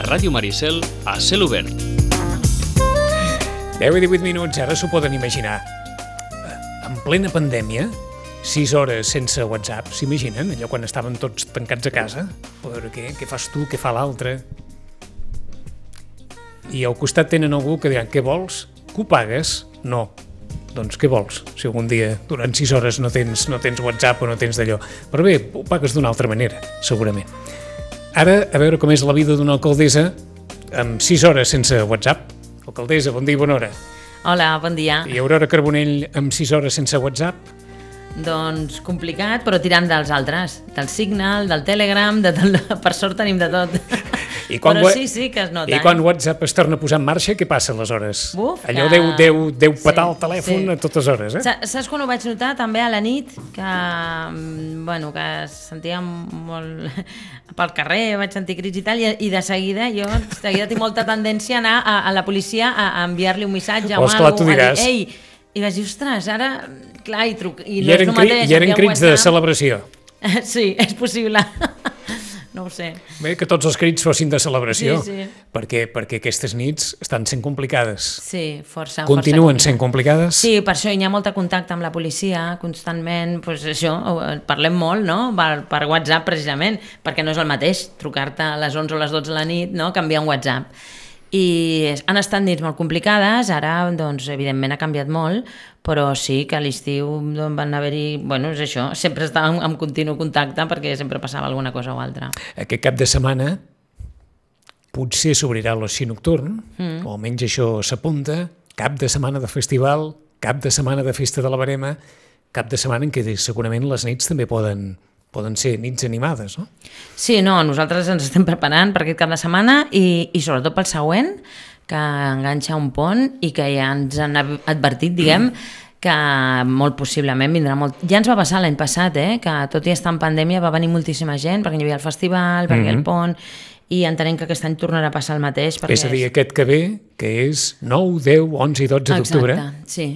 Ràdio Maricel a cel obert. 10 i 18 minuts, ara s'ho poden imaginar. En plena pandèmia, 6 hores sense WhatsApp, s'imaginen? Allò quan estaven tots tancats a casa? A veure què fas tu, què fa l'altre? I al costat tenen algú que diran, què vols? Que ho pagues? No. Doncs què vols? Si algun dia durant 6 hores no tens WhatsApp o no tens d'allò. Però bé, ho pagues d'una altra manera, segurament. Ara, a veure com és la vida d'una alcaldessa amb 6 hores sense WhatsApp. Alcaldessa, bon dia i bona hora. Hola, bon dia. I Aurora Carbonell amb 6 hores sense WhatsApp? Doncs complicat, però tirant dels altres. Del Signal, del Telegram, per sort tenim de tot. Però sí que es nota. I quan WhatsApp es torna a posar en marxa, què passa aleshores? Buf, allò deu petar el telèfon a totes hores, Saps quan ho vaig notar també a la nit? Que sentia molt... pel carrer, vaig sentir crits i tal, i de seguida tinc molta tendència a anar a la policia a enviar-li un missatge a algú, a dir, ei, i vaig dir, ostres, ara, clar, i no és el mateix. I eren crits de celebració. Sí, és possible. No ho sé. Bé, que tots els crits fossin de celebració, sí. perquè aquestes nits estan sent complicades. Sí, força. Continuen sent complicades? Sí, per això hi ha molt contacte amb la policia, constantment, doncs això, parlem molt, no?, per WhatsApp precisament, perquè no és el mateix trucar-te a les 11 o les 12 de la nit, no?, que enviar un WhatsApp. I han estat nits molt complicades, ara, doncs, evidentment ha canviat molt, però sí que a l'estiu van haver-hi, és això, sempre estàvem en continu contacte perquè sempre passava alguna cosa o altra. Aquest cap de setmana potser s'obrirà l'oci nocturn, o almenys això s'apunta, cap de setmana de festival, cap de setmana de festa de la Verema, cap de setmana en què segurament les nits també poden ser nits animades, no? Sí, nosaltres ens estem preparant per aquest cap de setmana i sobretot pel següent, que enganxa un pont i que ja ens han advertit, diguem, que molt possiblement vindrà molt... Ja ens va passar l'any passat, que tot i estar en pandèmia va venir moltíssima gent, perquè hi havia el festival, perquè el pont, i entenem que aquest any tornarà a passar el mateix. És a dir, aquest que ve, que és 9, 10, 11 i 12 d'octubre. Exacte, sí,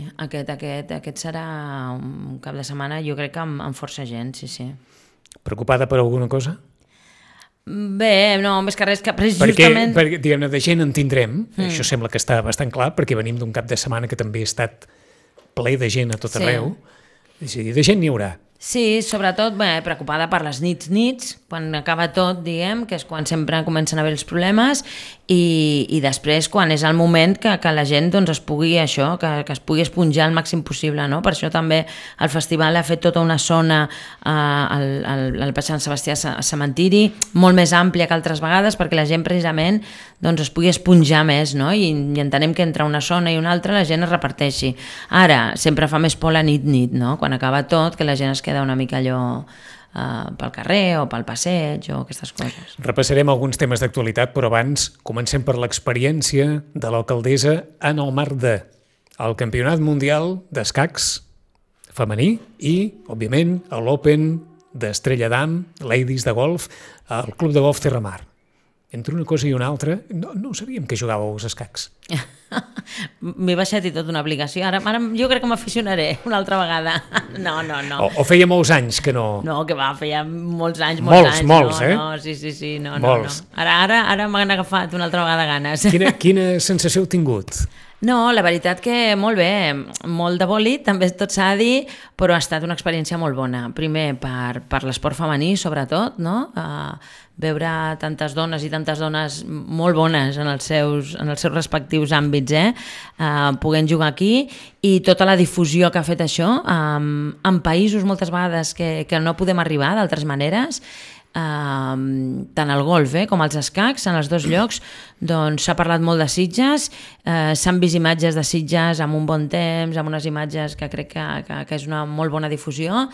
aquest serà un cap de setmana, jo crec que amb força gent, sí. Preocupada per alguna cosa? Bé, no, més que res, que justament... Perquè diguem-ne, de gent en tindrem, això sembla que està bastant clar, perquè venim d'un cap de setmana que també ha estat ple de gent a tot arreu, és a dir, de gent n'hi haurà. Sí, sobretot preocupada per les nits, quan acaba tot, diguem, que és quan sempre comencen a haver els problemes, i després quan és el moment que la gent es pugui que es pugui esponjar el màxim possible, no? Per això també el festival ha fet tota una zona al Passeig Sant Sebastià cementiri, molt més àmplia que altres vegades, perquè la gent precisament es pugui esponjar més, no? I entenem que entre una zona i una altra la gent es reparteixi. Ara, sempre fa més por la nit, no? Quan acaba tot, que la gent es queda una mica allò pel carrer o pel passeig o aquestes coses. Repassarem alguns temes d'actualitat, però abans comencem per l'experiència de l'alcaldessa en el marc del Campionat Mundial d'Escacs femení i, òbviament, l'Open d'Estrella Damm, Ladies de Golf, al Club de Golf Terramar. Entre una cosa i una altra, no sabíem que jugàveu als escacs. M'he baixat i tot una aplicació. Ara jo crec que m'aficionaré una altra vegada. No. O feia molts anys que no... No, que va, feia molts anys. Molts, sí, no. Ara m'han agafat una altra vegada ganes. Quina sensació heu tingut? No, la veritat que molt bé, molt de bòlit, també tot s'ha de dir, però ha estat una experiència molt bona. Primer, per l'esport femení, sobretot, no? Veure tantes dones i tantes dones molt bones en els seus respectius àmbits, podent jugar aquí, i tota la difusió que ha fet això en països moltes vegades que no podem arribar d'altres maneres, tant el golf com els escacs, en els dos llocs s'ha parlat molt de Sitges, s'han vist imatges de Sitges amb un bon temps, amb unes imatges que crec que és una molt bona difusió,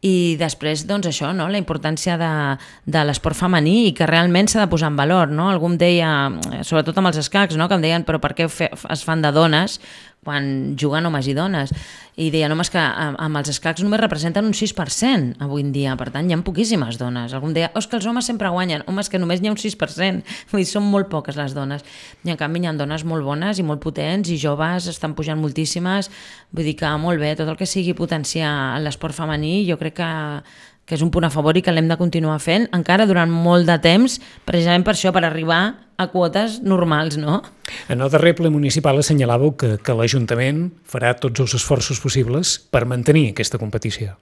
i després això, no? La importància de l'esport femení i que realment s'ha de posar en valor, no? Algú em deia, sobretot amb els escacs, no? Que em deien, però per què es fan de dones quan juguen homes i dones? I deia, no, és que amb els escacs només representen un 6% avui en dia, per tant hi ha poquíssimes dones. Algú em deia, és que els homes sempre guanyen. Home, és que només n'hi ha un 6%, vull dir, són molt poques les dones. I en canvi hi ha dones molt bones i molt potents i joves, estan pujant moltíssimes, vull dir que molt bé, tot el que sigui potenciar l'esport femení jo crec que és un punt a favor i que l'hem de continuar fent encara durant molt de temps, precisament per això, per arribar a quotes normals, no? En el darrer ple municipal assenyalàveu que l'Ajuntament farà tots els esforços possibles per mantenir aquesta competició.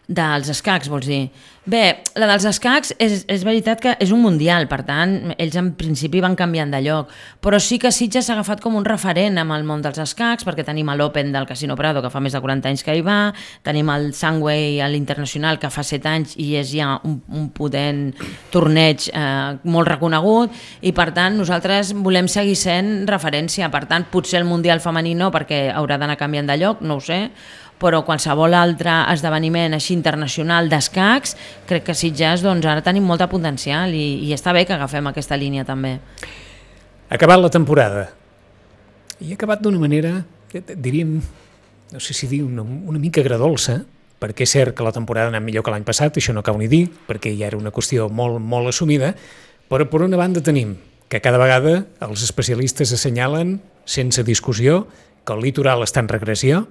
Dels escacs, vols dir? Bé, la dels escacs és veritat que és un mundial, per tant, ells en principi van canviant de lloc, però sí que Sitges s'ha agafat com un referent amb el món dels escacs, perquè tenim l'Open del Casino Prado, que fa més de 40 anys que hi va, tenim el Sunway a l'Internacional, que fa 7 anys i és ja un potent torneig molt reconegut, i per tant nosaltres volem seguir sent referència. Per tant, potser el mundial femení no, perquè haurà d'anar canviant de lloc, no ho sé, però qualsevol altre esdeveniment així internacional d'escacs, crec que Sitges doncs, ara tenim molta potencial i està bé que agafem aquesta línia també. Ha acabat la temporada i ha acabat d'una manera, diríem, no sé si dir una mica agredolça, perquè és cert que la temporada ha anat millor que l'any passat, això no cal ni dir, perquè ja era una qüestió molt, molt assumida, però per una banda tenim que cada vegada els especialistes assenyalen, sense discussió, que el litoral està en regressió.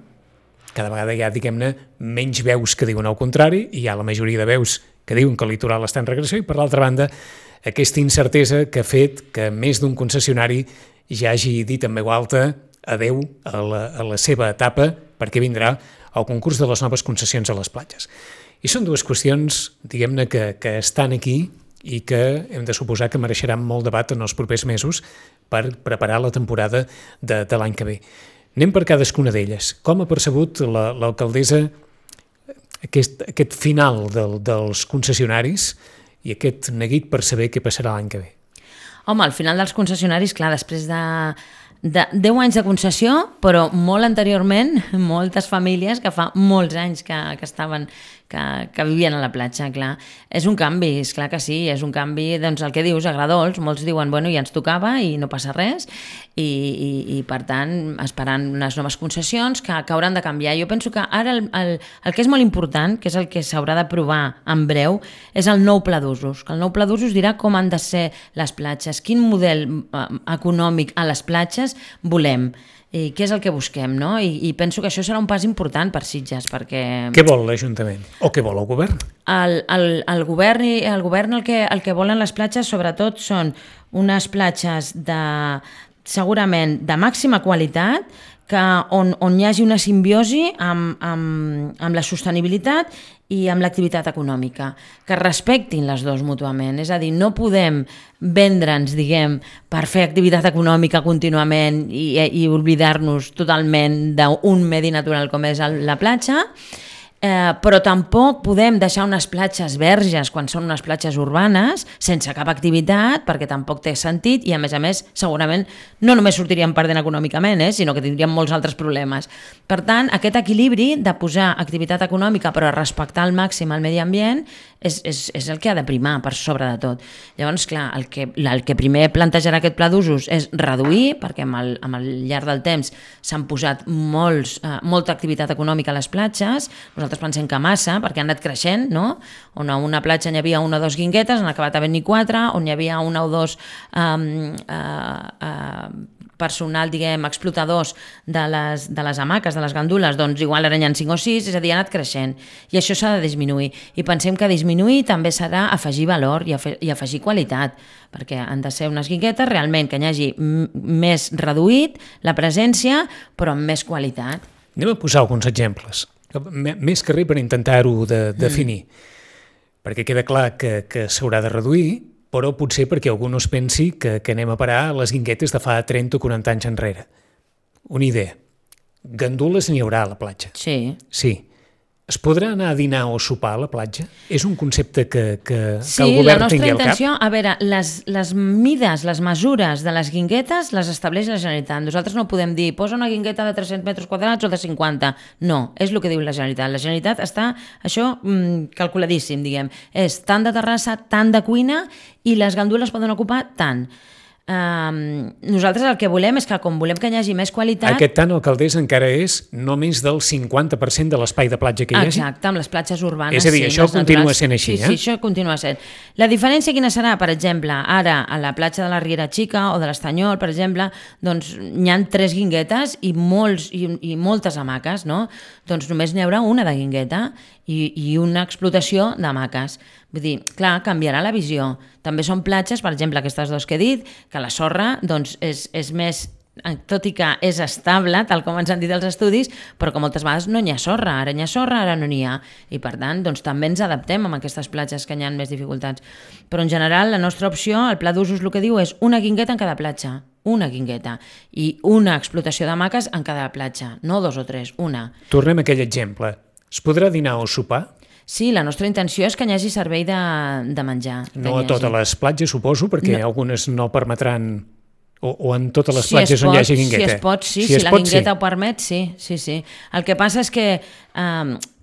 Cada vegada hi ha, diguem-ne, menys veus que diuen el contrari, i hi ha la majoria de veus que diuen que el litoral està en regressió, i per l'altra banda, aquesta incertesa que ha fet que més d'un concessionari ja hagi dit en veu alta adeu a la seva etapa, perquè vindrà el concurs de les noves concessions a les platges. I són dues qüestions, diguem-ne, que estan aquí i que hem de suposar que mereixeran molt debat en els propers mesos per preparar la temporada de l'any que ve. Anem per cadascuna d'elles. Com ha percebut l'alcaldessa aquest final dels concessionaris i aquest neguit per saber què passarà l'any que ve? Home, al final dels concessionaris, clar, després de 10 anys de concessió, però molt anteriorment, moltes famílies que fa molts anys que estaven, que vivien a la platja, clar. És un canvi, és clar que sí, és un canvi, doncs el que dius, agradols, molts diuen, bueno, ja ens tocava i no passa res, i per tant, esperant unes noves concessions que hauran de canviar. Jo penso que ara el que és molt important, que és el que s'haurà d'aprovar en breu, és el nou pla d'usos, que el nou pla d'usos dirà com han de ser les platges, quin model econòmic a les platges volem, i què és el que busquem, no? I penso que això serà un pas important per Sitges, perquè... Què vol l'Ajuntament? O què vol el govern? El govern el que volen les platges sobretot són unes platges segurament de màxima qualitat, on hi hagi una simbiosi amb la sostenibilitat i amb l'activitat econòmica, que respectin les dues mútuament. És a dir, no podem vendre'ns, diguem, per fer activitat econòmica contínuament i oblidar-nos totalment d'un medi natural com és la platja, però tampoc podem deixar unes platges verges quan són unes platges urbanes sense cap activitat, perquè tampoc té sentit i a més segurament no només sortiríem perdent econòmicament, sinó que tindríem molts altres problemes. Per tant, aquest equilibri de posar activitat econòmica però respectar al màxim el medi ambient és el que ha de primar per sobre de tot. Llavors, clar, el que primer plantejarà aquest pla d'usos és reduir, perquè amb el llarg del temps s'han posat molta activitat econòmica a les platges. Nosaltres pensem que massa, perquè han anat creixent, no? On a una platja hi havia una o dues guinguetes, han acabat havent-n'hi 4, on hi havia una o dos personal, diguem, explotadors de les hamaques, de les gandules, doncs igual ara n'hi ha 5 o 6, és a dir, ha anat creixent. I això s'ha de disminuir. I pensem que disminuir també serà afegir valor i afegir qualitat, perquè han de ser unes guinguetes realment que n'hi hagi més reduït la presència, però amb més qualitat. Anem a posar alguns exemples, més que res per intentar-ho definir, perquè queda clar que s'haurà de reduir, però potser perquè algú no es pensi que anem a parar a les guinguetes de fa 30 o 40 anys enrere. Una idea. Gandules n'hi haurà a la platja. Sí. Sí. Es podrà anar a dinar o sopar a la platja? És un concepte que el govern tingui al cap? Sí, la nostra intenció, a veure, les mides, les mesures de les guinguetes les estableix la Generalitat. Nosaltres no podem dir, posa una guingueta de 300 metres quadrats o de 50. No, és el que diu la Generalitat. La Generalitat està, això, calculadíssim, diguem. És tant de terrassa, tant de cuina, i les gandules poden ocupar tant. Nosaltres el que volem és que, com volem que hi hagi més qualitat... Aquest tant Alcaldessa encara és no més del 50% de l'espai de platja que hi hagi? Exacte, amb les platges urbanes. És a dir, això continua sent així, Sí, això continua sent. La diferència quina serà? Per exemple, ara a la platja de la Riera Xica o de l'Estanyol, per exemple, doncs n'hi ha 3 guinguetes i moltes hamaques, no? Doncs només n'hi haurà una de guingueta i una explotació d'hamaques. Vull dir, clar, canviarà la visió. També són platges, per exemple, aquestes 2 que he dit, que la sorra doncs, és més, tot i que és estable, tal com ens han dit els estudis, però que moltes vegades no n'hi ha sorra, ara n'hi ha sorra, ara no n'hi ha. I per tant, doncs, també ens adaptem a aquestes platges que hi ha més dificultats. Però en general, la nostra opció, el pla d'usos el que diu és una guingueta en cada platja, una guingueta, i una explotació d'hamaques en cada platja, no 2 o 3, una. Tornem a aquell exemple. Es podrà dinar o sopar? Sí, la nostra intenció és que hi hagi servei de menjar. No a totes les platges, suposo, perquè algunes no permetran... O en totes les platges on hi hagi guingueta? Si es pot, sí. Si la guingueta ho permet, sí. El que passa és que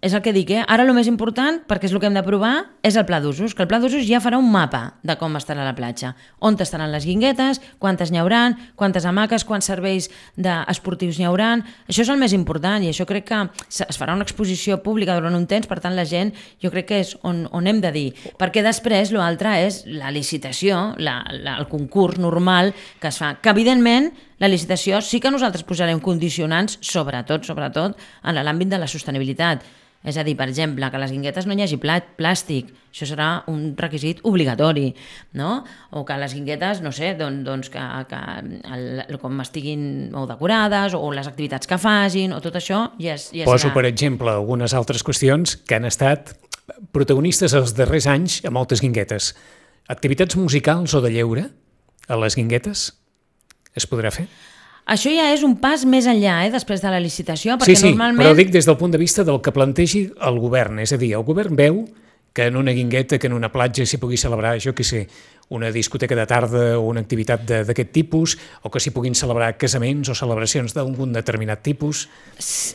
és el que dic, ara el més important, perquè és el que hem de provar, és el pla d'usos, que el pla d'usos ja farà un mapa de com estarà la platja, on estaran les guinguetes, quantes n'hi hauran, quantes hamaques, quants serveis esportius n'hi hauran. Això és el més important i això crec que es farà una exposició pública durant un temps, per tant la gent jo crec que és on hem de dir, perquè després l'altre és la licitació, el concurs normal que es fa, que evidentment la licitació sí que nosaltres posarem condicionants, sobretot en l'àmbit de la sostenibilitat. És a dir, per exemple, que a les guinguetes no hi hagi plàstic, això serà un requisit obligatori, no? O que les guinguetes, no sé, doncs com estiguin o decorades, o les activitats que facin, o tot això ja serà... Poso, per exemple, algunes altres qüestions que han estat protagonistes els darrers anys a moltes guinguetes. Activitats musicals o de lleure a les guinguetes es podrà fer? Això ja és un pas més enllà, després de la licitació, perquè normalment... Però dic des del punt de vista del que plantegi el govern. És a dir, el govern veu que en una guingueta, que en una platja s'hi pugui celebrar, jo què sé, una discoteca de tarda o una activitat d'aquest tipus, o que s'hi puguin celebrar casaments o celebracions d'algun determinat tipus.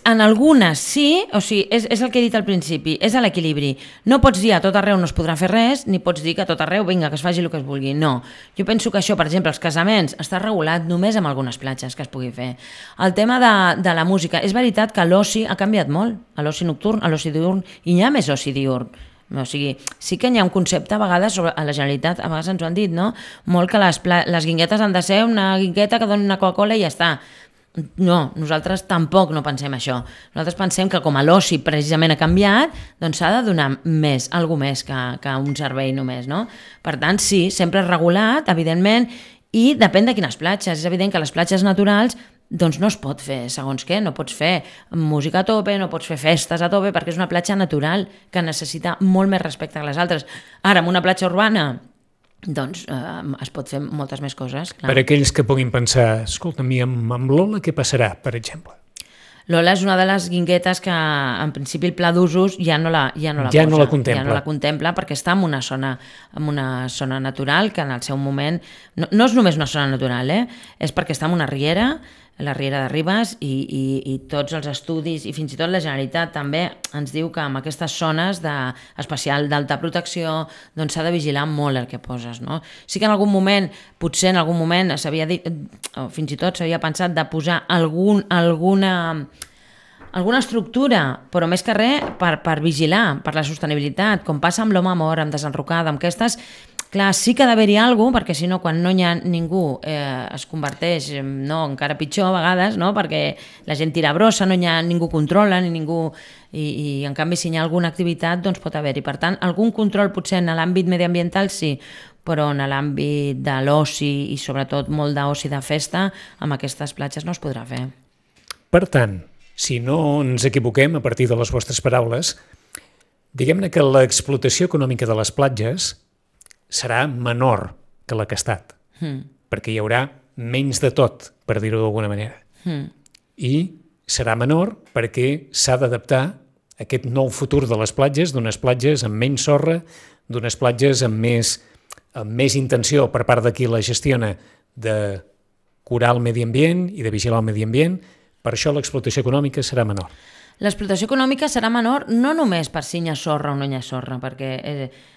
En algunes sí, o sigui, és el que he dit al principi, és a l'equilibri. No pots dir a tot arreu no es podrà fer res, ni pots dir que a tot arreu, vinga, que es faci el que es vulgui. No. Jo penso que això, per exemple, els casaments, està regulat només amb algunes platges que es pugui fer. El tema de la música, és veritat que l'oci ha canviat molt, a l'oci nocturn, a l'oci diurn, i hi ha més oci diurn. O sigui, sí que hi ha un concepte a vegades a la Generalitat, a vegades ens ho han dit, no? Molt que les guinguetes han de ser una guingueta que doni una Coca-Cola i ja està. No, nosaltres tampoc no pensem això. Nosaltres pensem que com a l'oci precisament ha canviat, doncs s'ha de donar més, alguna més que un servei només, no? Per tant, sí, sempre és regulat, evidentment, i depèn de quines platges. És evident que les platges naturals doncs no es pot fer segons què, no pots fer música a tope, no pots fer festes a tope, perquè és una platja natural que necessita molt més respecte que les altres. Ara, en una platja urbana, doncs es pot fer moltes més coses. Clar. Per aquells que puguin pensar, escolta'm, i amb Lola què passarà, per exemple? Lola és una de les guinguetes que, en principi, el pla d'usos ja no la contempla perquè està en una zona natural que en el seu moment... No és només una zona natural, és perquè està en una riera, la Riera de Ribes, i tots els estudis, i fins i tot la Generalitat també ens diu que en aquestes zones especial d'alta protecció doncs s'ha de vigilar molt el que poses, no? Sí que en algun moment, potser en algun moment s'havia dit, o fins i tot s'havia pensat de posar alguna estructura, però més que res per vigilar, per la sostenibilitat, com passa amb l'Home Mor, amb Desenrocada, amb aquestes... Clar, sí que ha d'haver-hi alguna cosa, perquè si no, quan no hi ha ningú es converteix, encara pitjor a vegades, no? Perquè la gent tira brossa, no hi ha ningú controla, ni ningú... I en canvi, si hi ha alguna activitat, doncs pot haver-hi. Per tant, algun control potser en l'àmbit mediambiental sí, però en l'àmbit de l'oci i sobretot molt d'oci de festa, amb aquestes platges no es podrà fer. Per tant, si no ens equivoquem a partir de les vostres paraules, diguem-ne que l'explotació econòmica de les platges serà menor que la que ha estat, perquè hi haurà menys de tot, per dir-ho d'alguna manera. I serà menor perquè s'ha d'adaptar a aquest nou futur de les platges, d'unes platges amb menys sorra, d'unes platges amb més intenció per part de qui la gestiona de curar el medi ambient i de vigilar el medi ambient. Per això l'explotació econòmica serà menor. L'explotació econòmica serà menor no només per si hi ha sorra o no hi ha sorra, perquè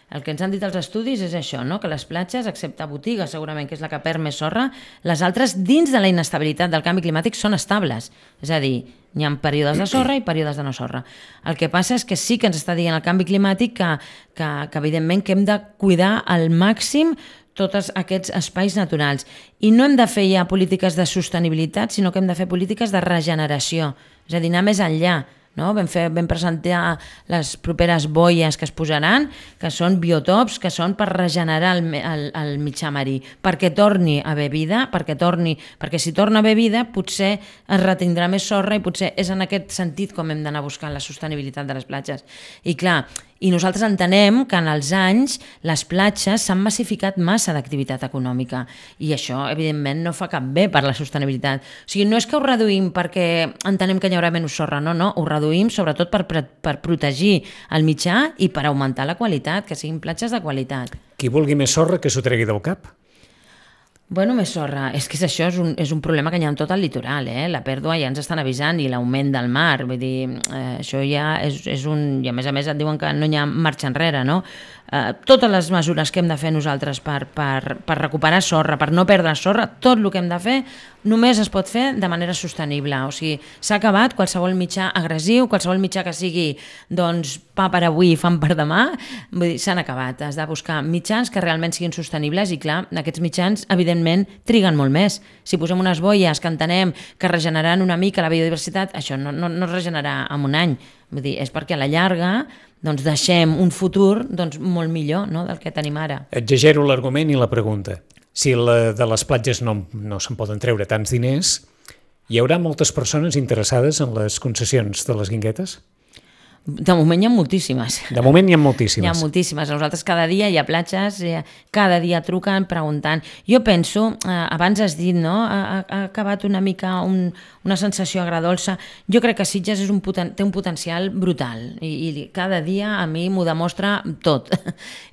el que ens han dit els estudis és això, no? Que les platges, excepte botigues, segurament, que és la que perd més sorra, les altres, dins de la inestabilitat del canvi climàtic, són estables. És a dir, hi ha períodes de sorra i períodes de no sorra. El que passa és que sí que ens està dient el canvi climàtic que evidentment, que hem de cuidar al màxim tots aquests espais naturals. I no hem de fer ja polítiques de sostenibilitat, sinó que hem de fer polítiques de regeneració, és a dir, anar més enllà. No? Vam presentar les properes boies que es posaran, que són biotops, que són per regenerar el mitjà marí, perquè torni a haver vida, perquè si torna a haver vida potser es retindrà més sorra i potser és en aquest sentit com hem d'anar buscant la sostenibilitat de les platges. I clar, i nosaltres entenem que en els anys les platges s'han massificat massa d'activitat econòmica i això, evidentment, no fa cap bé per la sostenibilitat. O sigui, no és que ho reduïm perquè entenem que hi haurà menys sorra, no, ho reduïm sobretot per protegir el mitjà i per augmentar la qualitat, que siguin platges de qualitat. Qui vulgui més sorra que s'ho tregui del cap. Bueno, més sorra. És que això és un problema que hi ha en tot el litoral, La pèrdua ja ens estan avisant i l'augment del mar. Vull dir, això ja és un... I a més et diuen que no hi ha marxa enrere, no? Totes les mesures que hem de fer nosaltres per recuperar sorra, per no perdre sorra, tot el que hem de fer només es pot fer de manera sostenible. O sigui, s'ha acabat qualsevol mitjà agressiu, qualsevol mitjà que sigui doncs, pa per avui i fam per demà, vull dir, s'han acabat. Has de buscar mitjans que realment siguin sostenibles i clar, aquests mitjans evidentment triguen molt més. Si posem unes boies que entenem que regeneraran una mica la biodiversitat, això no es regenerarà en un any. Vull dir, és perquè a la llarga doncs deixem un futur doncs, molt millor, no?, del que tenim ara. Exagero l'argument i la pregunta. Si de les platges no se'n poden treure tants diners, hi haurà moltes persones interessades en les concessions de les Guinguetes? De moment hi ha moltíssimes. De moment hi ha moltíssimes. Hi ha moltíssimes. Nosaltres cada dia hi ha platges, cada dia truquen preguntant. Jo penso, abans has dit, no?, ha acabat una mica una sensació agradolça. Jo crec que Sitges té un potencial brutal i cada dia a mi m'ho demostra tot.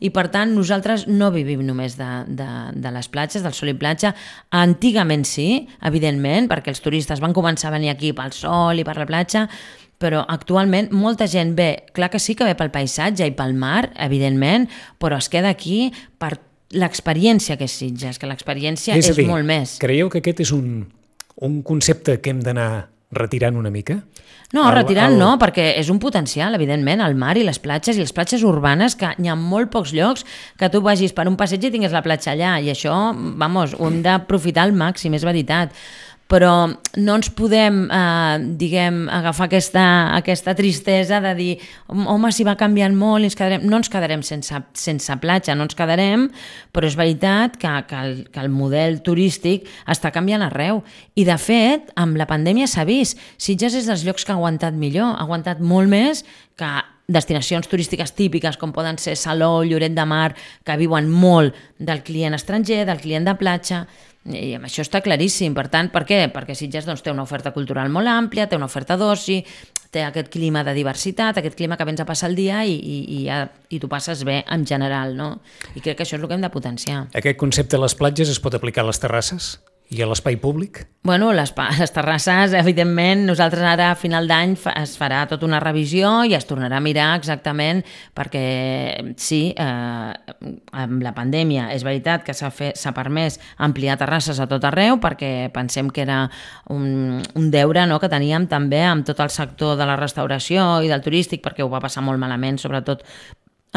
I per tant nosaltres no vivim només de les platges, del sol i platja. Antigament sí, evidentment, perquè els turistes van començar a venir aquí pel sol i per la platja, però actualment molta gent ve, clar que sí que ve pel paisatge i pel mar, evidentment, però es queda aquí per l'experiència que és Sitges, que l'experiència és molt més. Creieu que aquest és un concepte que hem d'anar retirant una mica? No, retirant no, perquè és un potencial, evidentment, el mar i les platges urbanes, que hi ha molt pocs llocs que tu vagis per un passeig i tinguis la platja allà, i això, vamos, ho hem d'aprofitar al màxim, és veritat. Però no ens podem, agafar aquesta tristesa de dir home, si va canviant molt i no ens quedarem sense platja, no ens quedarem, però és veritat que el model turístic està canviant arreu. I de fet, amb la pandèmia s'ha vist, Sitges és dels llocs que ha aguantat millor, ha aguantat molt més que destinacions turístiques típiques com poden ser Salou, Lloret de Mar, que viuen molt del client estranger, del client de platja. I això està claríssim. Per tant, per què? Perquè Sitges té una oferta cultural molt àmplia, té una oferta d'oci, té aquest clima de diversitat, aquest clima que vens a passar el dia i tu passes bé en general, no? I crec que això és el que hem de potenciar. Aquest concepte de les platges es pot aplicar a les terrasses? I a l'espai públic? Bueno, les terrasses, evidentment, nosaltres ara a final d'any es farà tota una revisió i es tornarà a mirar exactament perquè sí, amb la pandèmia és veritat que s'ha permès ampliar terrasses a tot arreu perquè pensem que era un deure, no?, que teníem també amb tot el sector de la restauració i del turístic, perquè ho va passar molt malament, sobretot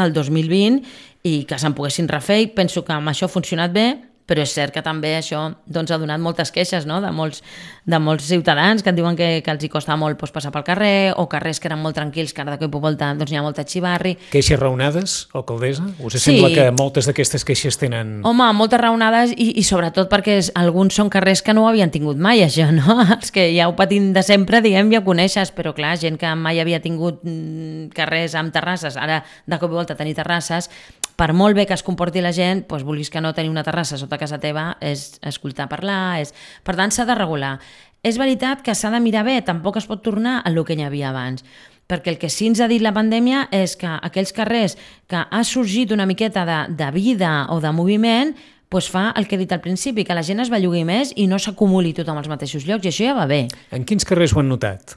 el 2020, i que se'n poguessin refer, i penso que amb això ha funcionat bé, però és cert que també això ha donat moltes queixes, no?, de molts ciutadans que et diuen que els hi costa molt passar pel carrer, o carrers que eren molt tranquils, que ara de cop i volta hi ha molta xivarri. Queixes raonades, alcaldessa? Us sembla que moltes d'aquestes queixes tenen... Home, moltes raonades i sobretot perquè alguns són carrers que no ho havien tingut mai, això, no? Els que ja ho patim de sempre, diguem, ja ho coneixes, però clar, gent que mai havia tingut carrers amb terrasses, ara de cop i volta tenir terrasses, per molt bé que es comporti la gent, doncs vulguis que no tenir una terrassa sota casa teva és escoltar parlar, per tant s'ha de regular. És veritat que s'ha de mirar bé, tampoc es pot tornar a el que hi havia abans, perquè el que sí ens ha dit la pandèmia és que aquells carrers que ha sorgit una miqueta de vida o de moviment, doncs fa el que he dit al principi, que la gent es bellugui més i no s'acumuli tothom als mateixos llocs, i això ja va bé. En quins carrers ho han notat?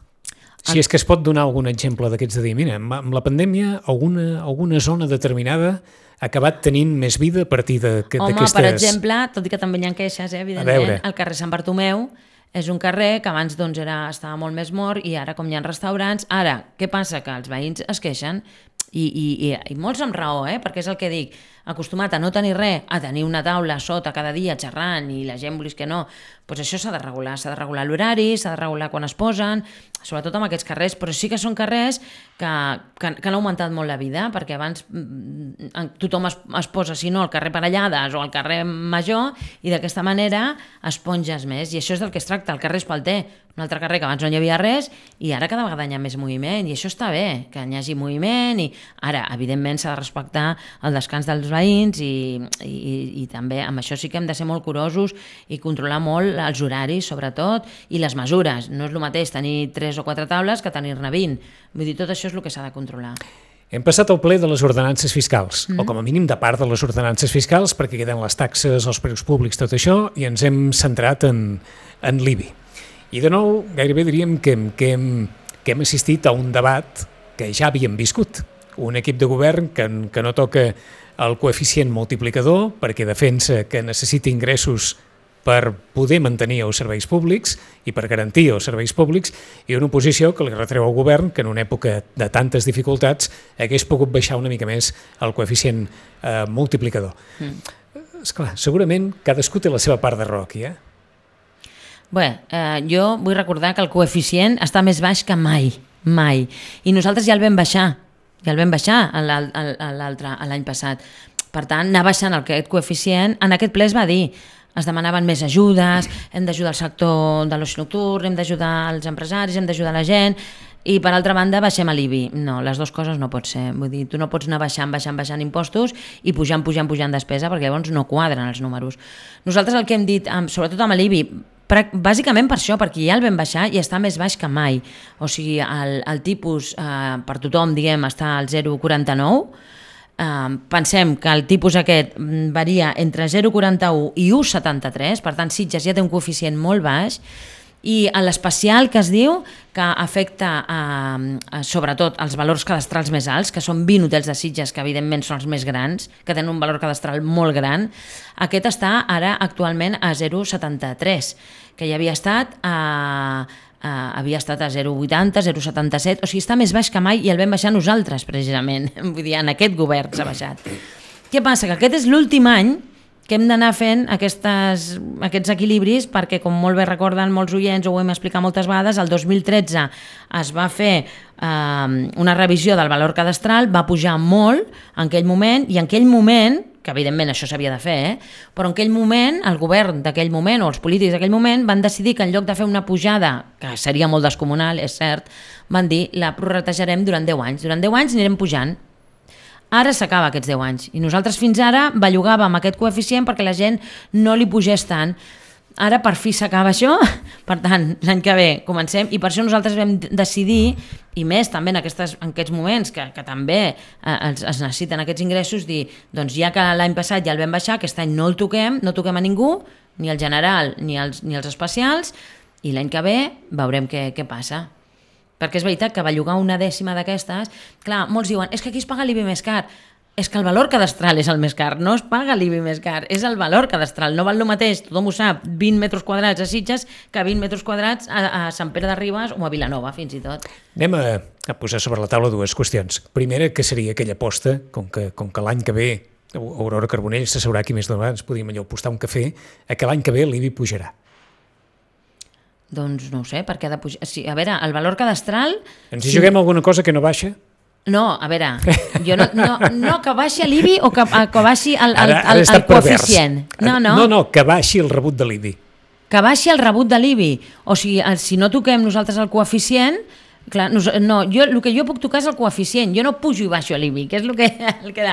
Si és que es pot donar algun exemple d'aquests de dir, mira, amb la pandèmia alguna zona determinada ha acabat tenint més vida a partir d'aquestes... Home, per exemple, tot i que també hi ha queixes, evidentment, el carrer Sant Bartomeu és un carrer que abans doncs, estava molt més mort i ara com hi ha restaurants... Ara, què passa? Que els veïns es queixen i molts amb raó, perquè és el que dic, acostumat a no tenir res, a tenir una taula sota cada dia xerrant i la gent volis que no, doncs això s'ha de regular l'horari, s'ha de regular quan es posen, sobretot amb aquests carrers, però sí que són carrers que han augmentat molt la vida, perquè abans tothom es posa, si no, al carrer Parellades o al carrer Major, i d'aquesta manera esponges més, i això és del que es tracta, el carrer Espalter, un altre carrer que abans no hi havia res i ara cada vegada hi ha més moviment i això està bé, que hi hagi moviment i ara, evidentment, s'ha de respectar el descans dels veïns i també amb això sí que hem de ser molt curosos i controlar molt els horaris, sobretot, i les mesures. No és el mateix tenir 3 o 4 taules que tenir-ne 20. Vull dir, tot això és el que s'ha de controlar. Hem passat al ple de les ordenances fiscals, o com a mínim de part de les ordenances fiscals, perquè queden les taxes, els preus públics, tot això, i ens hem centrat en l'IBI. I de nou, gairebé diríem que hem assistit a un debat que ja havíem viscut. Un equip de govern que no toca el coeficient multiplicador perquè defensa que necessita ingressos per poder mantenir els serveis públics i per garantir els serveis públics, i una oposició que li retreu al govern que en una època de tantes dificultats hagués pogut baixar una mica més el coeficient multiplicador. Esclar, segurament cadascú té la seva part de raó aquí, Bé, jo vull recordar que el coeficient està més baix que mai, mai. I nosaltres ja el vam baixar l'any passat. Per tant, anar baixant aquest coeficient, en aquest ple es va dir, es demanaven més ajudes, hem d'ajudar el sector de l'oci nocturn, hem d'ajudar els empresaris, hem d'ajudar la gent, i per altra banda baixem l'IBI. No, les dues coses no pot ser. Vull dir, tu no pots anar baixant impostos i pujant despesa, perquè llavors no quadren els números. Nosaltres el que hem dit, sobretot amb l'IBI, bàsicament per això, perquè ja el vam baixar i està més baix que mai. O sigui, el tipus per tothom, diguem, està al 0,49. Pensem que el tipus aquest varia entre 0,41 i 1,73, per tant Sitges ja té un coeficient molt baix, i l'especial que es diu que afecta sobretot els valors cadastrals més alts, que són 20 hotels de Sitges, que evidentment són els més grans, que tenen un valor cadastral molt gran, aquest està ara actualment a 0,73, que ja havia estat a 0,80, 0,77, o sigui, està més baix que mai i el vam baixar nosaltres, precisament. Vull dir, en aquest govern s'ha baixat. Què passa? Que aquest és l'últim any que hem d'anar fent aquests equilibris, perquè, com molt bé recorden molts oients, ho hem explicat moltes vegades, el 2013 es va fer una revisió del valor cadastral, va pujar molt en aquell moment, i en aquell moment, que evidentment això s'havia de fer, però en aquell moment, el govern d'aquell moment, o els polítics d'aquell moment, van decidir que en lloc de fer una pujada, que seria molt descomunal, és cert, van dir, la prorratejarem durant 10 anys. Durant 10 anys anirem pujant. Ara s'acaba aquests 10 anys i nosaltres fins ara bellugàvem aquest coeficient perquè la gent no li pugés tant. Ara per fi s'acaba això, per tant l'any que ve comencem, i per això nosaltres vam decidir, i més també en aquests moments que també es necessiten aquests ingressos, dir, doncs ja que l'any passat ja el vam baixar, aquest any no el toquem, no toquem a ningú, ni el general ni els especials, i l'any que ve veurem què passa. Perquè és veritat que bellugar una dècima d'aquestes, clar, molts diuen, és que aquí es paga l'IBI més car. És que el valor cadastral és el més car, no es paga l'IBI més car, és el valor cadastral. No val el mateix, tothom ho sap, 20 metres quadrats a Sitges que 20 metres quadrats a Sant Pere de Ribes o a Vilanova, fins i tot. Anem a posar sobre la taula dues qüestions. Primera, que seria aquella aposta, com que l'any que ve Aurora Carbonell s'asseurà aquí més d'una vegada, ens podíem allò apostar un cafè, que l'any que ve l'IBI pujarà. Doncs no ho sé, perquè ha de pujar... Sí, a veure, el valor cadastral... Ens hi juguem alguna cosa que no baixa? No, a veure, jo no que baixi l'IBI o que baixi el coeficient. No, que baixi el rebut de l'IBI. Que baixi el rebut de l'IBI. O sigui, si no toquem nosaltres el coeficient... Clar, el que jo puc tocar és el coeficient, jo no pujo i baixo l'IBI, que és el que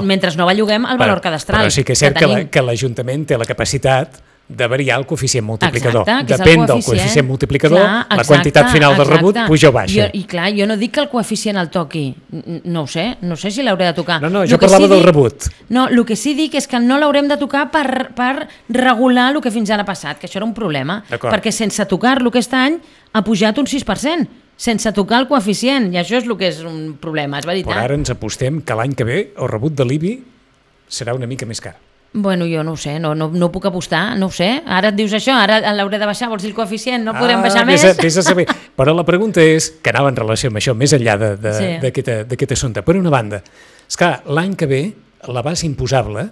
mentre no belluguem el valor cadastral. Però sí que és cert que l'Ajuntament té la capacitat de variar el coeficient multiplicador. Exacte, depèn del coeficient multiplicador, clar, la quantitat final del rebut puja o baixa. Jo no dic que el coeficient el toqui, no ho sé si l'hauré de tocar. No, jo parlava del rebut. No, el que sí dic és que no l'haurem de tocar per regular el que fins ara ha passat, que això era un problema, perquè sense tocar-lo aquest any ha pujat un 6%. sense tocar el coeficient, i això és el que és un problema, és veritat. Però ara ens apostem que l'any que ve el rebut de l'IBI serà una mica més car. Bueno, jo no ho sé, no puc apostar, no ho sé. Ara et dius això, ara l'hauré de baixar, vols dir el coeficient, no podem baixar més? Vés a saber. Però la pregunta és, que anava en relació amb això, més enllà d'aquest assumpte. Per una banda, esclar, l'any que ve la base imposable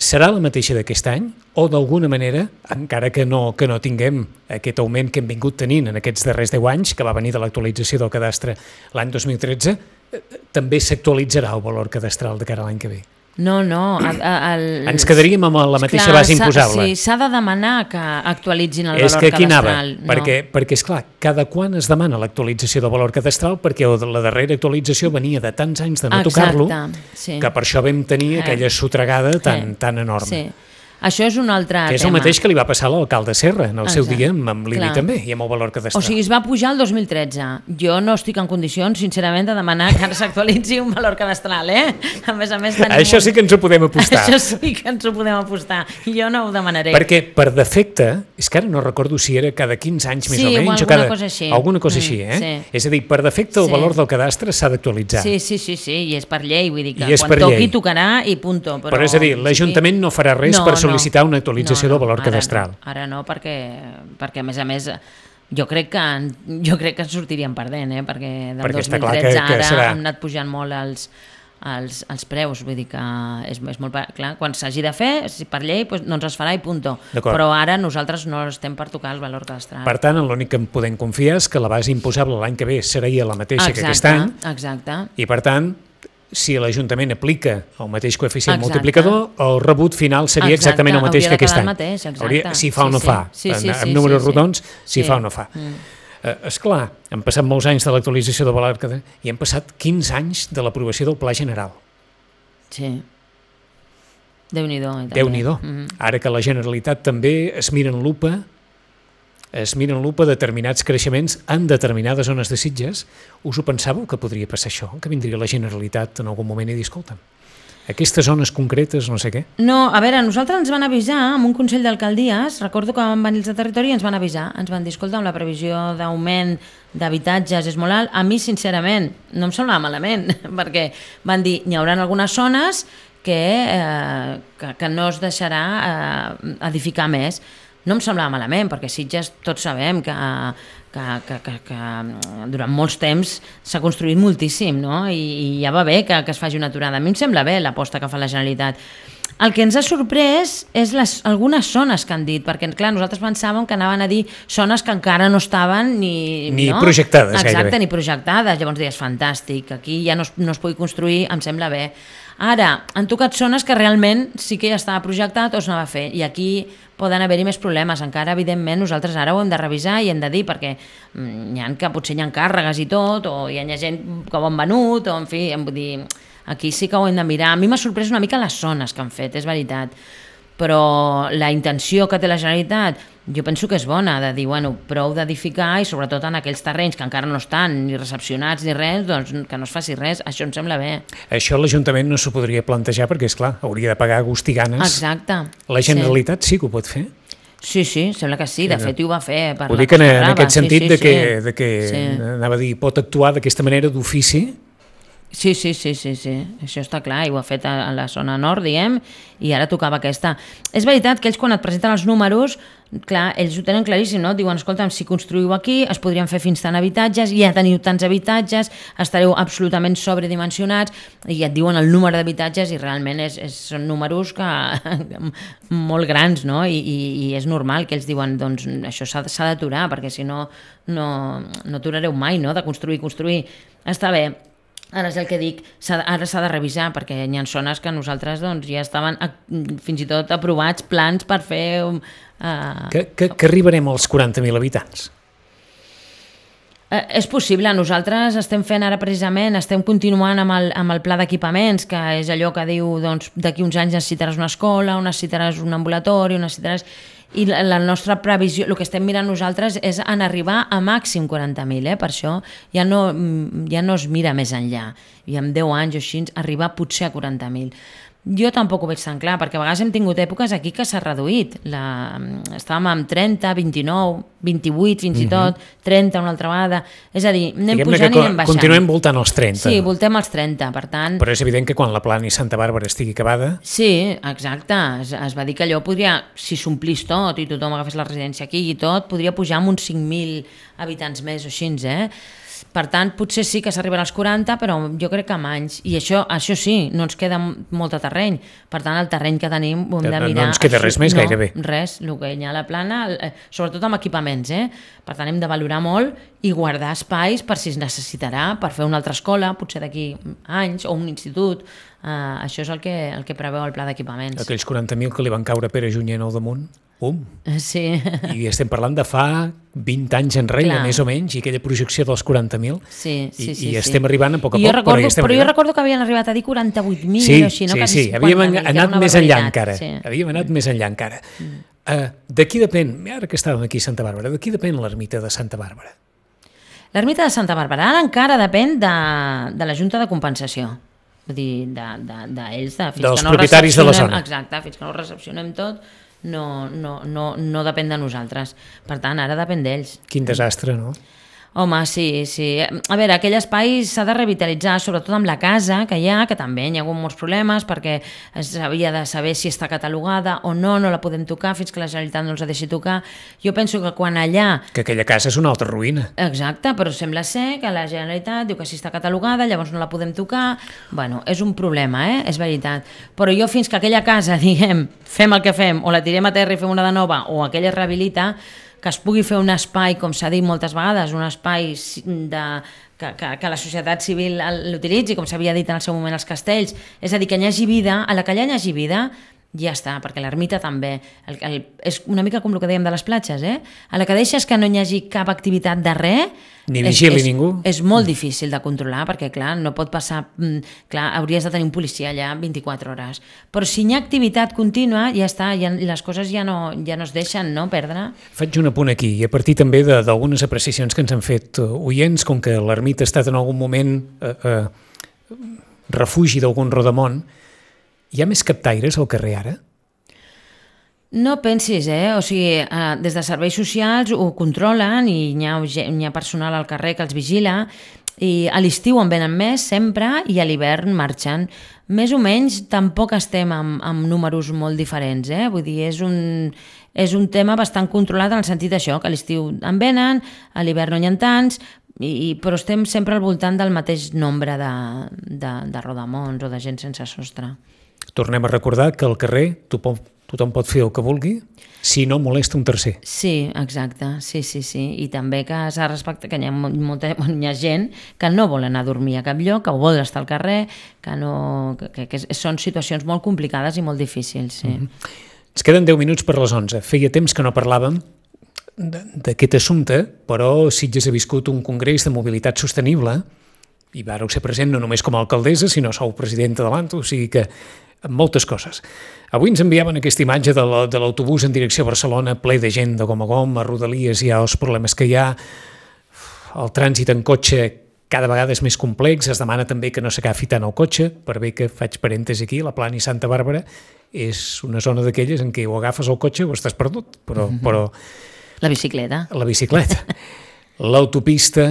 serà la mateixa d'aquest any o d'alguna manera, encara que no tinguem aquest augment que hem vingut tenint en aquests darrers 10 anys, que va venir de l'actualització del cadastre l'any 2013, també s'actualitzarà el valor cadastral de cara a l'any que ve? No. Ens quedaríem amb la mateixa base imposable. Sí, s'ha de demanar que actualitzin el valor cadastral. És que aquí anava, perquè esclar, cada quan es demana l'actualització del valor cadastral, perquè la darrera actualització venia de tants anys de no tocar-lo, que per això vam tenir aquella sotregada tan enorme. Sí. Això és un altre tema. Que és el mateix que li va passar a l'alcalde Serra en el seu dia amb l'IBI també, i amb el valor cadastral. O sigui, es va pujar el 2013. Jo no estic en condicions, sincerament, de demanar que ara s'actualitzi un valor cadastral, A més, això sí que ens ho podem apostar. Això sí que ens ho podem apostar. Jo no ho demanaré. Perquè, per defecte, és que ara no recordo si era cada 15 anys més o menys, o alguna cosa així. Alguna cosa així, Sí. És a dir, per defecte el valor del cadastre s'ha d'actualitzar. Sí, i és per llei, vull dir que quan toqui tocarà i punto. Però és a dir, l'Ajuntament no farà res per sol·licitar una actualització del valor cadastral. Ara no, perquè a més, jo crec que en sortirien perdent, perquè del 2013 ara han anat pujant molt els preus, vull dir que és molt clar, quan s'hagi de fer, per llei, doncs es farà i punto. Però ara nosaltres no estem per tocar el valor cadastral. Per tant, l'únic que en podem confiar és que la base imposable l'any que ve seria la mateixa que aquest any. Exacte. I per tant, si l'Ajuntament aplica el mateix coeficient multiplicador, el rebut final seria exactament el mateix que aquest any. Si fa o no fa. Amb números rodons, si fa o no fa. Esclar, han passat molts anys de l'actualització del valor i han passat 15 anys de l'aprovació del Pla General. Sí. Déu-n'hi-do. Déu-n'hi-do. Ara que la Generalitat també es mira en lupa determinats creixements en determinades zones de Sitges, us ho pensàveu que podria passar això? Que vindria la Generalitat en algun moment i dir, escolta'm, aquestes zones concretes, no sé què? No, a veure, nosaltres ens van avisar amb un Consell d'Alcaldies, recordo que van venir els de territori i ens van avisar, ens van dir, escolta, la previsió d'augment d'habitatges és molt alt. A mi, sincerament, no em semblava malament, perquè van dir, hi haurà algunes zones que no es deixarà edificar més. No em semblava malament, perquè Sitges tots sabem que durant molts temps s'ha construït moltíssim, no? I ja va bé que es faci una aturada. A mi em sembla bé l'aposta que fa la Generalitat. El que ens ha sorprès és algunes zones que han dit, perquè clar, nosaltres pensàvem que anaven a dir zones que encara no estaven ni projectades. Exacte, ni projectades. Llavors deies, fantàstic, aquí ja no es pugui construir, em sembla bé. Ara, han tocat zones que realment sí que ja estava projectat o s'anava a fer, i aquí poden haver-hi més problemes. Encara, evidentment, nosaltres ara ho hem de revisar i hem de dir, perquè potser hi ha càrregues i tot, o hi ha gent que ho han venut, o en fi, vull dir, aquí sí que ho hem de mirar. A mi m'ha sorprès una mica les zones que han fet, és veritat, però la intenció que té la Generalitat jo penso que és bona, de dir, bueno, prou d'edificar, i sobretot en aquells terrenys que encara no estan ni recepcionats ni res, doncs que no es faci res, això em sembla bé. Això l'Ajuntament no s'ho podria plantejar perquè, esclar, hauria de pagar gust i ganes. Exacte. La Generalitat sí que ho pot fer? Sí, sembla que sí, de fet ho va fer. Ho dic en aquest sentit de que anava a dir, pot actuar d'aquesta manera d'ofici. Sí, això està clar, i ho ha fet a la zona nord, diguem, i ara tocava aquesta. És veritat que ells, quan et presenten els números, clar, ells ho tenen claríssim, no? Diuen, escolta'm, si construïu aquí, es podrien fer fins tant habitatges, ja teniu tants habitatges, estareu absolutament sobredimensionats, i et diuen el número d'habitatges, i realment són números molt grans, no? I és normal que ells diuen, doncs, això s'ha d'aturar, perquè si no aturareu mai, no?, de construir. Està bé. Ara és el que dic, ara s'ha de revisar, perquè hi ha zones que nosaltres ja estaven fins i tot aprovats plans per fer... Que arribarem als 40.000 habitants? És possible, nosaltres estem fent ara precisament, estem continuant amb el pla d'equipaments, que és allò que diu, doncs, d'aquí uns anys necessitaràs una escola, necessitaràs un ambulatori, necessitaràs... I la nostra previsió, el que estem mirant nosaltres és en arribar a màxim 40.000, per això ja no es mira més enllà, i en 10 anys o així arribar potser a 40.000. Jo tampoc ho veig tan clar, perquè a vegades hem tingut èpoques aquí que s'ha reduït. Estàvem amb 30, 29, 28 fins i tot, 30 una altra vegada. És a dir, anem pujant i anem baixant. Continuem voltant els 30. Sí, voltem els 30, per tant... Però és evident que quan la Plana i Santa Bàrbara estigui acabada... Sí, exacte. Es va dir que allò podria, si s'omplís tot i tothom agafés la residència aquí i tot, podria pujar amb uns 5.000 habitants més o així, Per tant, potser sí que s'arribarà als 40, però jo crec que amb anys. I això sí, no ens queda molt de terreny. Per tant, el terreny que tenim ho hem de mirar... No ens queda res més, gairebé. Res, el que hi ha a la Plana, sobretot amb equipaments. Per tant, hem de valorar molt i guardar espais per si es necessitarà, per fer una altra escola, potser d'aquí anys, o un institut. Això és el que preveu el pla d'equipaments. Aquells 40.000 que li van caure a Pere Junyent al damunt, Sí. I estem parlant de fa 20 anys enrere, més o menys, i aquella projecció dels 40.000. Sí. I estem arribant a poc a poc, però hi estem arribant. Però jo recordo que havien arribat a dir 48.000 sí, o així, no? Sí, havíem anat més enllà encara. Havíem anat més enllà encara. De qui depèn, ara que estàvem aquí a Santa Bàrbara, de qui depèn l'ermita de Santa Bàrbara? L'ermita de Santa Bàrbara ara encara depèn de la Junta de Compensació. Vull dir, d'ells, dels propietaris de la zona. Exacte, fins que no ho recepcionem tot, no depèn de nosaltres. Per tant, ara depèn d'ells. Quin desastre, no? Home, sí. A veure, aquell espai s'ha de revitalitzar, sobretot amb la casa que hi ha, que també hi ha hagut molts problemes perquè s'havia de saber si està catalogada o no la podem tocar fins que la Generalitat no els ha deixat tocar. Jo penso que quan allà... Que aquella casa és una altra ruïna. Exacte, però sembla ser que la Generalitat diu que si està catalogada llavors no la podem tocar. Bueno, és un problema, és veritat. Però jo fins que aquella casa, diguem, fem el que fem, o la tirem a terra i fem una de nova, o aquella es rehabilita, que es pugui fer un espai, com s'ha dit moltes vegades, un espai que la societat civil l'utilitzi, com s'havia dit en el seu moment als castells, és a dir, que hi hagi vida, a la que allà hi hagi vida, ja està, perquè l'ermita també. És una mica com el que dèiem de les platges, a la que deixes que no hi hagi cap activitat de res, ni vigili ningú. És molt difícil de controlar, perquè clar, no pot passar... Clar, hauries de tenir un policia allà 24 hores. Però si hi ha activitat contínua, ja està, les coses ja no es deixen perdre. Faig un apunt aquí, i a partir també d'algunes apreciacions que ens han fet oients, com que l'ermita ha estat en algun moment refugi d'algun rodamont. Hi ha més captaires al carrer ara? No pensis, o sigui, des de serveis socials ho controlen i hi ha personal al carrer que els vigila i a l'estiu en venen més sempre i a l'hivern marxen. Més o menys tampoc estem amb números molt diferents, vull dir, és un tema bastant controlat en el sentit d'això, que a l'estiu en venen, a l'hivern no hi ha tants, però estem sempre al voltant del mateix nombre de rodamons o de gent sense sostre. Tornem a recordar que al carrer tothom pot fer el que vulgui si no molesta un tercer. Sí, exacte, sí. I també que s'ha de respectar que hi ha gent que no vol anar a dormir a cap lloc, que vol estar al carrer, que són situacions molt complicades i molt difícils, sí. Ens queden 10 minuts per les 11. Feia temps que no parlàvem d'aquest assumpte, però Sitges ha viscut un congrés de mobilitat sostenible i vàreu ser present no només com a alcaldessa, sinó sou presidenta de l'ANTO, o sigui que amb moltes coses. Avui ens enviaven aquesta imatge de l'autobús en direcció a Barcelona, ple de gent de gom a gom, a Rodalies hi ha els problemes que hi ha, el trànsit en cotxe cada vegada és més complex, es demana també que no s'agafi tant el cotxe, per bé que faig parèntesi aquí, la Plana i Santa Bàrbara és una zona d'aquelles en què o agafes el cotxe o estàs perdut, però... La bicicleta. L'autopista...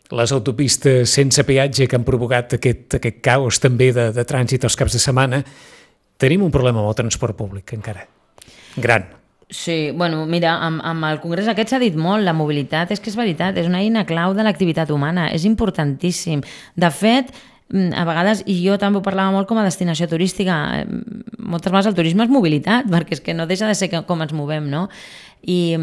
Les autopistes sense peatge que han provocat aquest caos també de trànsit els caps de setmana, tenim un problema amb el transport públic encara, gran. Sí, bueno, mira, amb el congrés aquest s'ha dit molt, la mobilitat, és que és veritat, és una eina clau de l'activitat humana, és importantíssim. De fet, a vegades, i jo també ho parlava molt com a destinació turística, moltes vegades el turisme és mobilitat, perquè és que no deixa de ser com ens movem, no? I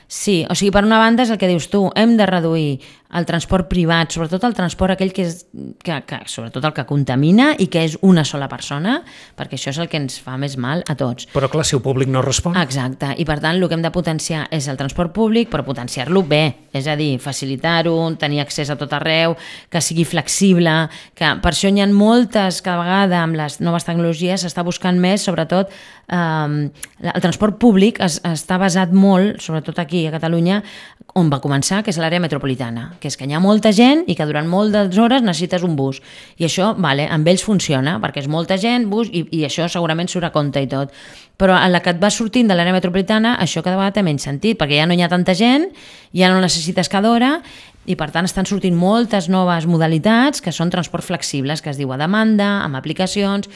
sí, o sigui, per una banda és el que dius tu, hem de reduir el transport privat, sobretot el transport aquell que sobretot el que contamina i que és una sola persona, perquè això és el que ens fa més mal a tots. Però clar, si el públic no respon. Exacte, i per tant el que hem de potenciar és el transport públic, però potenciar-lo bé, és a dir, facilitar-ho, tenir accés a tot arreu, que sigui flexible, que per això hi ha moltes, cada vegada amb les noves tecnologies s'està buscant més, sobretot el transport públic està basat molt molt, sobretot aquí a Catalunya, on va començar, que és l'àrea metropolitana, que és que hi ha molta gent i que durant moltes hores necessites un bus. I això, vale, amb ells funciona, perquè és molta gent, bus, i això segurament surt a compte i tot. Però a la que et vas sortint de l'àrea metropolitana, això cada vegada té menys sentit, perquè ja no hi ha tanta gent, ja no necessites cada hora, i per tant estan sortint moltes noves modalitats que són transport flexibles, que es diu a demanda, amb aplicacions.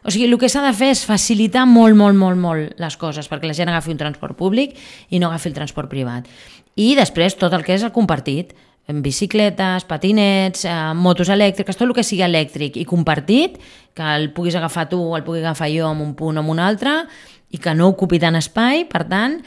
O sigui, el que s'ha de fer és facilitar molt les coses perquè la gent agafi un transport públic i no agafi el transport privat. I després tot el que és el compartit, bicicletes, patinets, motos elèctriques, tot el que sigui elèctric i compartit, que el puguis agafar tu o el pugui agafar jo en un punt o en un altre i que no ocupi tant espai, per tant,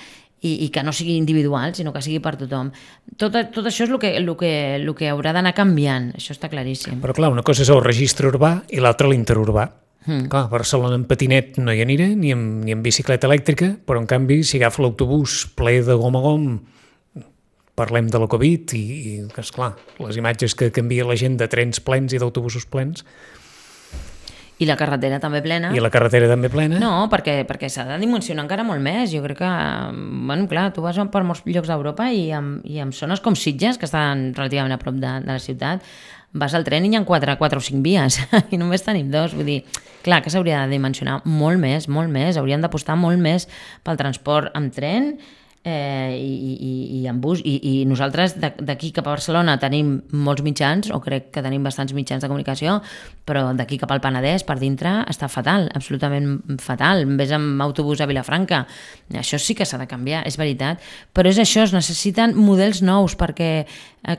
i que no sigui individual, sinó que sigui per tothom. Tot això és el que haurà d'anar canviant, això està claríssim. Però clar, una cosa és el registre urbà i l'altra l'interurbà. Clar, a Barcelona en patinet no hi aniré, ni en bicicleta elèctrica, però en canvi si agafo l'autobús ple de gom a gom, parlem de la Covid i esclar, les imatges que canvia la gent de trens plens i d'autobusos plens. I la carretera també plena. I la carretera també plena. No, perquè s'ha de dimensionar encara molt més. Jo crec que, bueno, clar, tu vas per molts llocs d'Europa i en zones com Sitges, que estan relativament a prop de la ciutat, vas al tren i hi ha 4 o 5 vies i només tenim 2. Vull dir, clar, que s'hauria de dimensionar molt més. Haurien d'apostar molt més pel transport amb tren i en bus, i nosaltres d'aquí cap a Barcelona tenim molts mitjans, o crec que tenim bastants mitjans de comunicació, però d'aquí cap al Penedès per dintre està fatal, absolutament fatal. Ves amb autobús a Vilafranca, això sí que s'ha de canviar, és veritat, però és això, es necessiten models nous, perquè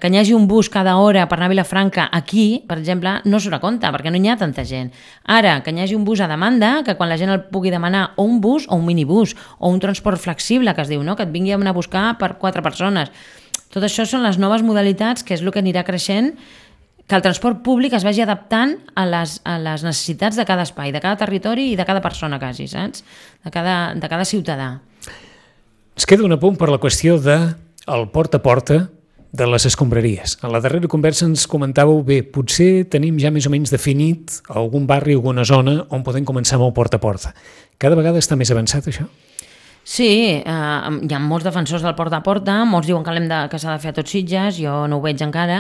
que hi hagi un bus cada hora per anar a Vilafranca aquí, per exemple, no surt a compte, perquè no hi ha tanta gent. Ara, que hi hagi un bus a demanda, que quan la gent el pugui demanar, o un bus o un minibús, o un transport flexible, que es diu, no? Que et vingui a anar a buscar per 4 persones. Tot això són les noves modalitats, que és el que anirà creixent, que el transport públic es vagi adaptant a les necessitats de cada espai, de cada territori i de cada persona quasi, saps? De cada ciutadà. Es queda un apunt per la qüestió del porta a porta de les escombraries. En la darrera conversa ens comentàveu, bé, potser tenim ja més o menys definit algun barri o alguna zona on podem començar amb el porta a porta. Cada vegada està més avançat això? Sí, hi ha molts defensors del porta a porta, molts diuen que s'ha de fer a tots Sitges, jo no ho veig encara,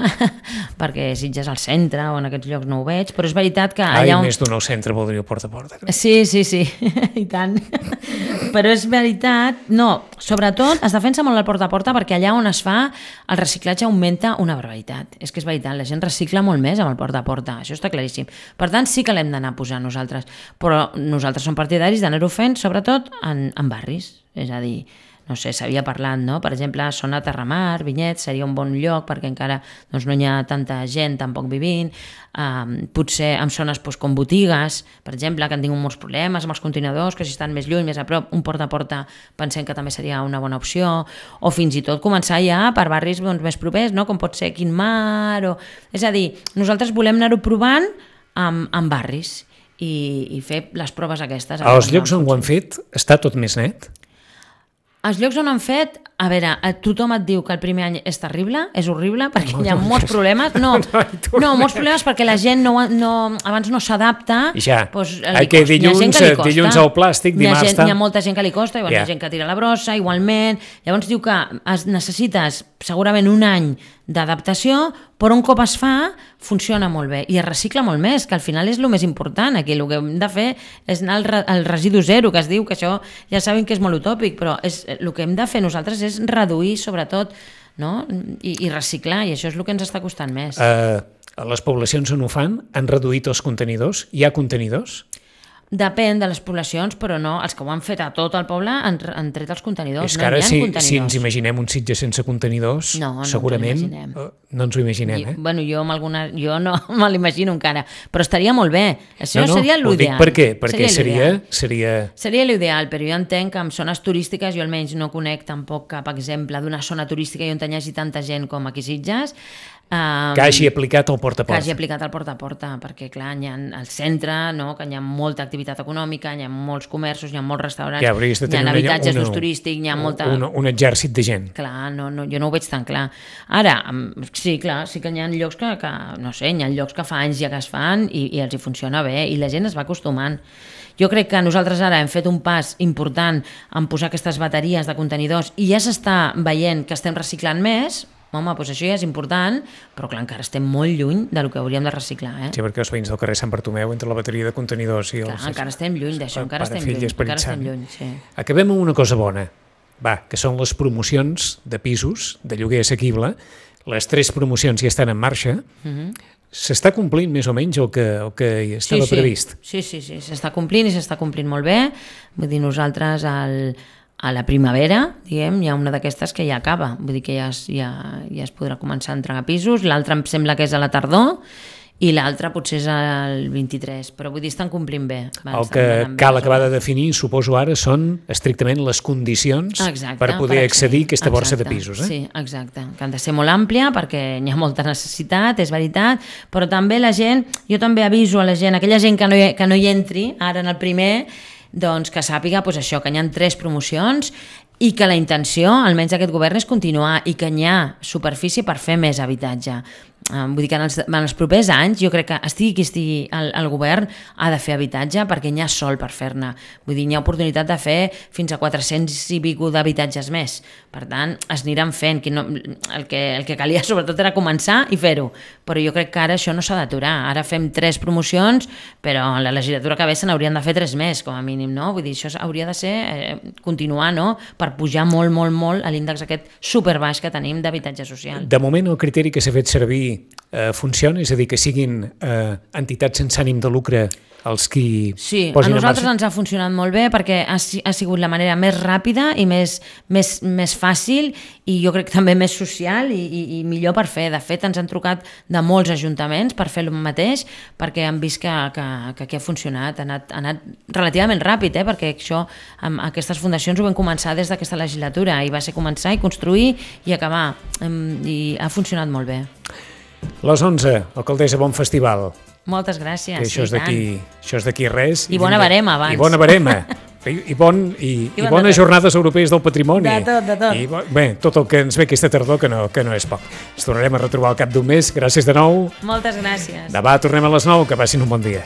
perquè Sitges al centre o en aquests llocs no ho veig, però és veritat que allà més d'un nou centre voldria el porta a porta. Crec. Sí, i tant. Però és veritat, no, sobretot es defensa molt el porta a porta perquè allà on es fa el reciclatge augmenta una barbaritat. És que és veritat, la gent recicla molt més amb el porta a porta, això està claríssim. Per tant, sí que l'hem d'anar posant nosaltres, però nosaltres som partidaris d'anar-ho fent, sobretot en barris. És a dir, no sé, s'havia parlat, no? Per exemple, zona Terramar, Vinyet, seria un bon lloc perquè encara doncs, no hi ha tanta gent tampoc vivint, potser en zones com botigues, per exemple, que han tingut molts problemes amb els contenidors, que si estan més lluny, més a prop, un porta a porta pensem que també seria una bona opció, o fins i tot començar ja per barris més propers, no? Com pot ser Quintmar, és a dir, nosaltres volem anar-ho provant amb barris i fer les proves aquestes. Als llocs on ho han fet està tot més net? Els llocs on han fet, a veure, tothom et diu que el primer any és terrible, és horrible, perquè hi ha molts problemes. No, molts problemes perquè la gent abans no s'adapta. Ja, que dilluns al plàstic, dimarts... Hi ha molta gent que li costa, hi ha gent que tira la brossa, igualment. Llavors diu que necessites segurament un any d'adaptació, però un cop es fa, funciona molt bé i es recicla molt més, que al final és el més important aquí. El que hem de fer és anar al residu zero, que es diu, que això ja saben que és molt utòpic, però el que hem de fer nosaltres és reduir, sobretot, no? I reciclar, i això és el que ens està costant més. A les poblacions on ho fan han reduït els contenidors? Hi ha contenidors? Depèn de les poblacions, però no, els que ho han fet a tot el poble han tret els contenidors. És que ara si ens imaginem un Sitges sense contenidors, segurament no ens ho imaginem. Bueno, jo no me l'imagino encara, però estaria molt bé. Això seria l'ideal. Per què? Perquè seria l'ideal, però jo entenc que en zones turístiques, jo almenys no conec tampoc cap exemple d'una zona turística on hi hagi tanta gent com aquí Sitges, Que hagi aplicat el porta a que hagi porta. aplicat el porta a porta, perquè clar, hi ha al centre, no? Que hi ha molta activitat econòmica, hi ha molts comerços, hi ha molts restaurants, Que hauries de hi ha tenir habitatges d'ús turístic, hi ha molta... un exèrcit de gent. Clar, no, jo no ho veig tan clar. Ara, sí, clar, sí que hi ha llocs que no sé, hi ha llocs que fa anys ja que es fan i els hi funciona bé i la gent es va acostumant. Jo crec que nosaltres ara hem fet un pas important en posar aquestes bateries de contenidors i ja s'està veient que estem reciclant més. Home, doncs això ja és important, però clar, encara estem molt lluny del que hauríem de reciclar. Sí, perquè els veïns del carrer Sant Bartomeu, entre la bateria de contenidors i els... Clar, encara estem lluny d'això, encara estem lluny. Sí. Acabem amb una cosa bona, que són les promocions de pisos, de lloguer assequible. Les 3 promocions ja estan en marxa. S'està complint més o menys el que estava previst? Sí, s'està complint i s'està complint molt bé. Vull dir, nosaltres a la primavera, diguem, hi ha una d'aquestes que ja acaba, vull dir que ja es podrà començar a entregar pisos, l'altra em sembla que és a la tardor i l'altra potser és el 23, però vull dir, estan complint bé. El que cal acabar de definir, suposo ara, són estrictament les condicions per poder accedir a aquesta borsa de pisos. Sí, exacte, que han de ser molt àmplia perquè hi ha molta necessitat, és veritat, però també la gent, jo també aviso a la gent, aquella gent que no hi entri ara en el primer, doncs que sàpiga això, que hi ha 3 promocions i que la intenció, almenys d'aquest govern, és continuar i que hi ha superfície per fer més habitatge. Vull dir que en els propers anys jo crec que estigui qui estigui al govern ha de fer habitatge perquè n'hi ha sol per fer-ne. Vull dir, n'hi ha oportunitat de fer fins a 400 i pico d'habitatges més. Per tant, es aniran fent. El que calia sobretot era començar i fer-ho. Però jo crec que ara això no s'ha d'aturar. Ara fem 3 promocions, però en la legislatura que ve se n'haurien de fer 3 més, com a mínim, no? Vull dir, això hauria de ser continuar, no? Per pujar molt, molt, molt a l'índex aquest superbaix que tenim d'habitatge social. De moment el criteri que s'ha fet servir funciona? És a dir, que siguin entitats sense ànim de lucre els qui posin en marxa? Sí, a nosaltres ens ha funcionat molt bé perquè ha sigut la manera més ràpida i més fàcil i jo crec també més social i millor per fer. De fet, ens han trucat de molts ajuntaments per fer el mateix perquè han vist que aquí ha funcionat. Ha anat relativament ràpid, perquè aquestes fundacions ho vam començar des d'aquesta legislatura i va ser començar i construir i acabar. I ha funcionat molt bé. Les 11, alcaldessa, bon festival. Moltes gràcies. Això és d'aquí res. I bona barema, abans. I bona barema. I bones jornades europees del patrimoni. De tot. Bé, tot el que ens ve aquesta tardor, que no és poc. Ens tornarem a retrobar al cap d'un mes. Gràcies de nou. Moltes gràcies. Demà tornem a les 9. Que passin un bon dia.